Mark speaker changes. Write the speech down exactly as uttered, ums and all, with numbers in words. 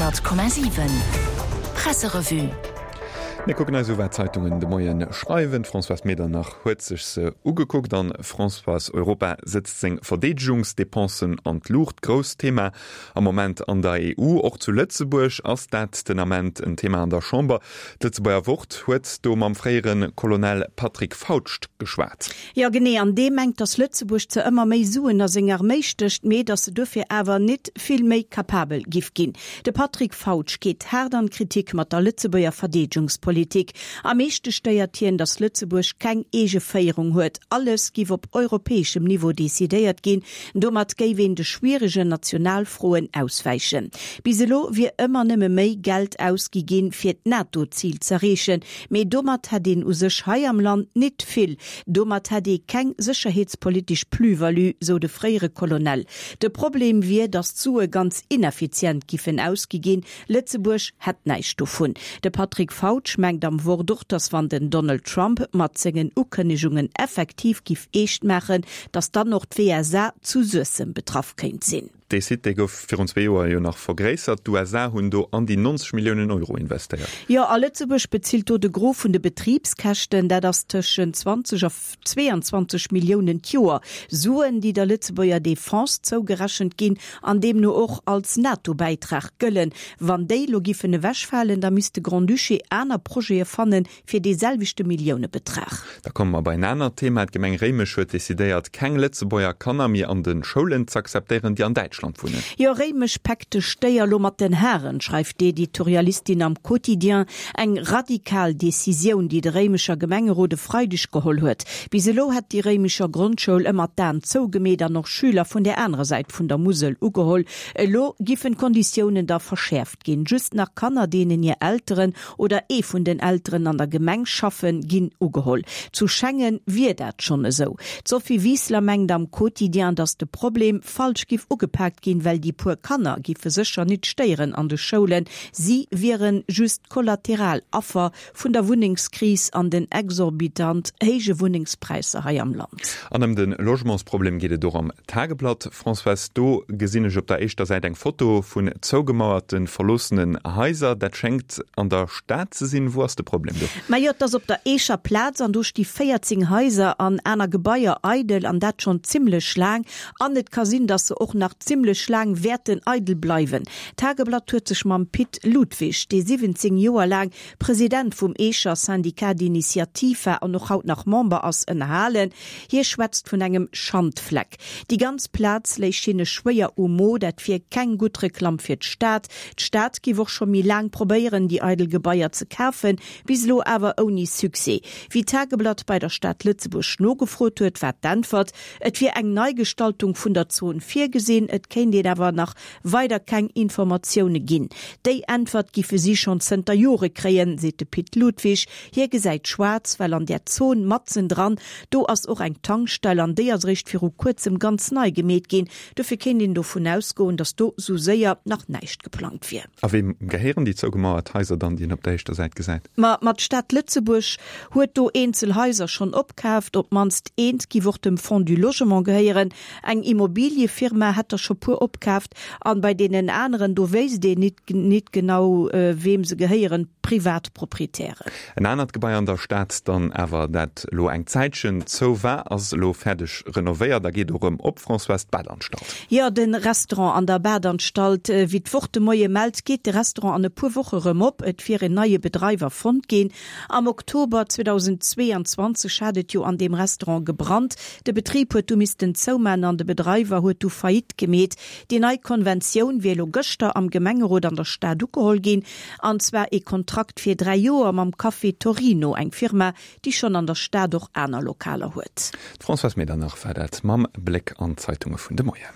Speaker 1: Honnert Komma siwen Presserevue.
Speaker 2: Mir kucken eis u wat d'Zeitungen de Moien schreiwen. D'Françoise Medernach huet sech se ugekuckt an Françoise, Europa sëtzt seng Verdeedegungsdepensen an d'Luucht. Grousst Thema am Moment an der E U. Och zu Lëtzebuerg ass dat den Ament en Thema an der Chamber. D'Lëtzebuerger Wort huet do mam fréiere Colonel Patrick Fautsch geschwat.
Speaker 3: Jo genee, an dee mengt, datt Lëtzebuerg zwar ëmmer méi Suen a seng Arméi stécht, mee datt se dofir awer nit vill méi kapabel giff ginn. De Patrick Fautsch geet haart an d'Kritik mat der Lëtzebuerger Verdeedegungspolitik. Am meeschte stéiert hien, datt Lëtzebuerg keng eege Féierung huet. Alles giff op europäeschem Niveau decidéiert ginn, domat géif een de schwieregen Nationalfroen auswäichen. Bis elo wier ëmmer nëmme méi Geld ausgi ginn, fir d'NATO-Zil z'erreechen, mee domat hätt een u sech hei am Land nit vill. Domat hätt ee keng sécherheetspolitesch Plus-value, sou de fréiere Colonel. De Problem wier, datt d'Sue ganz ineffizient giffen ausgi ginn, Lëtzebuerg hätt näischt dovun. De Patrick Fautsch mengt am Wort och, datt wann den Donald Trump mat sengen Ukënnegungen effektiv giff eescht maachen, datt dann och d'W S A zu Suessem betraff kéint sinn.
Speaker 2: Dee Site, dee gouf virun zwee Joer jo nach vergréissert. D'U S A hunn do an déi neunzeg Milliounen Euro investéiert.
Speaker 3: Jo, a Lëtzebuerg bezilt do de Gros vun de Betribskäschten, dat ass tëschent zwanzeg a zweeanzwanzeg Milliounen d'Joer. Suen, déi der Lëtzebuerger Defense zougerechent ginn an deemno och als NATO-Bäitrag gëllen. Wann déi elo giffen ewechfalen, da misst de Grand-Duché aner Projete fannen, fir dee selwechte Milliounebetrag.
Speaker 2: Da komme mer bei en anert Thema. D'Gemeng Réimech huet decidéiert, keng Lëtzebuerger Kanner méi an de Schoulen z'akzeptéieren, déi an Däitschland wunnen.
Speaker 3: Jo, Réimech päckt de Stéier lo mat den Haren, schreift d'Editorialistin am Quotidien. Eng radikal Decisioun, déi de Réimecher Gemengerot e Freideg geholl huet. Bis elo hätt déi Réimecher Grondschoul ëmmer d'Aen zougemeet an och Schüler vun der anerer Säit vun der Musel ugeholl. Elo giffen d'Konditiounen da verschäerft ginn. Just nach Kanner, deenen hir Elteren oder ee vun den Elteren an der Gemeng schaffen, ginn ugeholl. Zu Schengen wier dat schonn esou. D'Sophie Wiseler mengt am Quotidien, datt de Problem falsch giff ugepaakt ginn, well déi puer Kanner giffe sécher nit stéieren an de Schoulen. Si wieren just kollateral Affer vun der Wunnengskris an den exorbitant héije Wunnengspräisser hei am Land.
Speaker 2: An ëm de Logementsproblem geet et och am Tageblatt. Françoise, do gesinn ech op der éischter Säit eng Foto vun zougemauerten, verloossenen Haiser. Dat schéngt an der Stad ze sinn. Wou ass de Problem do?
Speaker 3: Majo, et ass op der Eecher Plaz an do sti véierzéng Haiser an aner Gebaier eidel an dat schonn zimmlech laang. An et ka sinn, dass se och nach zimmlech laang wäerten eidel bleiwen. D'Tageblatt huet sech mam Pit Ludwig, dee siwwenzéng Joer laang President vum Eecher Syndicat d'initiative war an och haut nach Member ass, ënnerhalen. Hie schwätzt vun engem Schandfleck. Déi ganz Plaz léich hinne schwéier um Mo, dat wier keng gutt Reklamm fir d'Stad. D'Stad giff och scho méi laang probéieren, déi eidel Gebaier ze kafen, bis elo awer ouni Succès. Wéi d'Tageblatt bei der Stad Lëtzebuerg nogefrot huet, war d'Äntwert, et wier eng Neigestaltung vun der Zon virgesinn, et kéint een awer nach weider keng Informatioune ginn. Déi Äntwert giffe si schonn zënter Jore kréien, seet de Pit Ludwig. Hie gesäit schwaarz, well an där Zon matzendran, do ass och eng Tankstell an déi ass eréischt viru kuerzem ganz nei gemeet ginn. Dofir kéint een dovun ausgoen, datt do sou séier nach näischt geplangt wier.
Speaker 2: A weem gehéieren déi zougemauert Haiser dann, déi een op der éischter Säit gesäit?
Speaker 3: Ma ma d'Stad Lëtzebuerg huet do eenzel Haiser schonn opkaaft. Op d'mannst eent giff och dem Fonds du Logement gehéieren. Eng Immobiliëfirma hätt der scho puer opkaaft an bei deenen aneren, do wéisst een nit nit genau, weem se gehéieren, privat Proprietären.
Speaker 2: En anert Gebai an der Stad dann awer, dat elo eng Zäitchen zou war, ass elo fäerdeg renovéiert a geet och erëm op, Françoise, d'Badanstalt.
Speaker 3: Jo, de Restaurant an der Badanstalt. Wéi d'Wort de Moie mellt, geet de Restaurant an e puer Woche erëm op. Et wier en neie Bedreiwer fonnt ginn. Am Oktober zweedausendzweeanzwanzeg hat et jo an deem Restaurant gebrannt. De Betrib huet du missten zouman an de Bedreiwer huet du Faillite gemeet. Déi nei Konventioun wier elo gëschter am Gemengerot an der Stad ugeholl ginn, an zwar ee Kontrakt fir dräi Joer mam Café Torino, eng Firma, déi schonn an der Stad och aner Lokaler huet.
Speaker 2: D'Françoise Medernach war dat mam Bléck an d'Zeitunge vun de Moien.